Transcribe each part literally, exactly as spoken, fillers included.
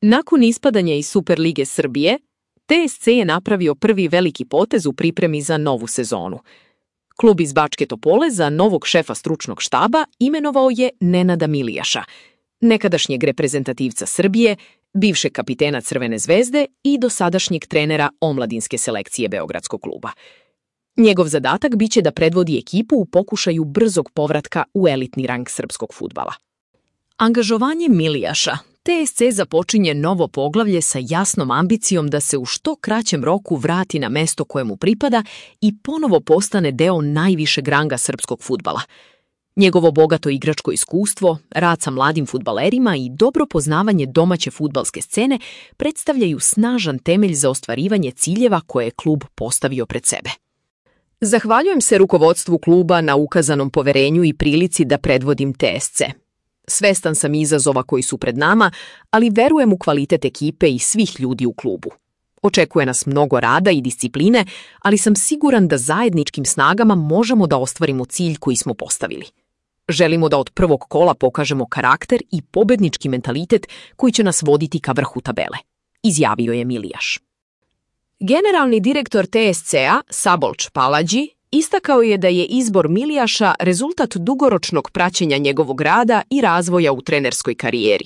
Nakon ispadanja iz Superlige Srbije, T S C je napravio prvi veliki potez u pripremi za novu sezonu. Klub iz Bačke Topole za novog šefa stručnog štaba imenovao je Nenada Milijaša, nekadašnjeg reprezentativca Srbije, bivšeg kapitena Crvene zvezde i dosadašnjeg trenera omladinske selekcije Beogradskog kluba. Njegov zadatak biće da predvodi ekipu u pokušaju brzog povratka u elitni rang srpskog fudbala. Angažovanjem Milijaša, T S C započinje novo poglavlje sa jasnom ambicijom da se u što kraćem roku vrati na mesto koje mu pripada i ponovo postane deo najvišeg ranga srpskog fudbala. Njegovo bogato igračko iskustvo, rad sa mladim fudbalerima i dobro poznavanje domaće fudbalske scene predstavljaju snažan temelj za ostvarivanje ciljeva koje je klub postavio pred sebe. Zahvaljujem se rukovodstvu kluba na ukazanom poverenju i prilici da predvodim T S C. Svestan sam izazova koji su pred nama, ali verujem u kvalitet ekipe i svih ljudi u klubu. Očekuje nas mnogo rada i discipline, ali sam siguran da zajedničkim snagama možemo da ostvarimo cilj koji smo postavili. Želimo da od prvog kola pokažemo karakter i pobednički mentalitet koji će nas voditi ka vrhu tabele, izjavio je Milijaš. Generalni direktor T S C-a, Sabolč Paladži, istakao je da je izbor Milijaša rezultat dugoročnog praćenja njegovog rada i razvoja u trenerskoj karijeri.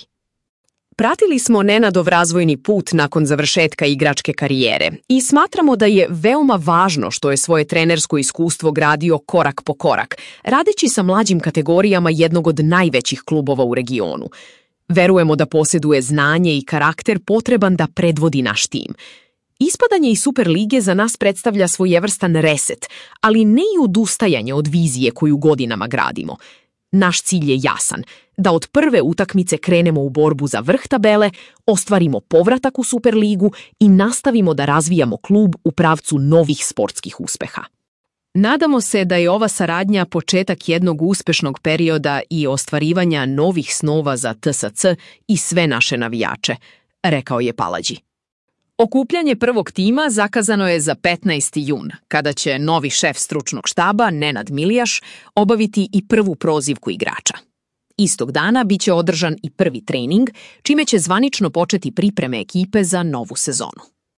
Pratili smo Nenadov razvojni put nakon završetka igračke karijere i smatramo da je veoma važno što je svoje trenersko iskustvo gradio korak po korak, radeći sa mlađim kategorijama jednog od najvećih klubova u regionu. Verujemo da posjeduje znanje i karakter potreban da predvodi naš tim. Ispadanje iz Superlige za nas predstavlja svojevrstan reset, ali ne i odustajanje od vizije koju godinama gradimo. Naš cilj je jasan, da od prve utakmice krenemo u borbu za vrh tabele, ostvarimo povratak u Superligu i nastavimo da razvijamo klub u pravcu novih sportskih uspeha. Nadamo se da je ova saradnja početak jednog uspešnog perioda i ostvarivanja novih snova za T S C i sve naše navijače, rekao je Paladži. Okupljanje prvog tima zakazano je za petnaesti jun, kada će novi šef stručnog štaba, Nenad Milijaš, obaviti i prvu prozivku igrača. Istog dana biće održan i prvi trening, čime će zvanično početi pripreme ekipe za novu sezonu.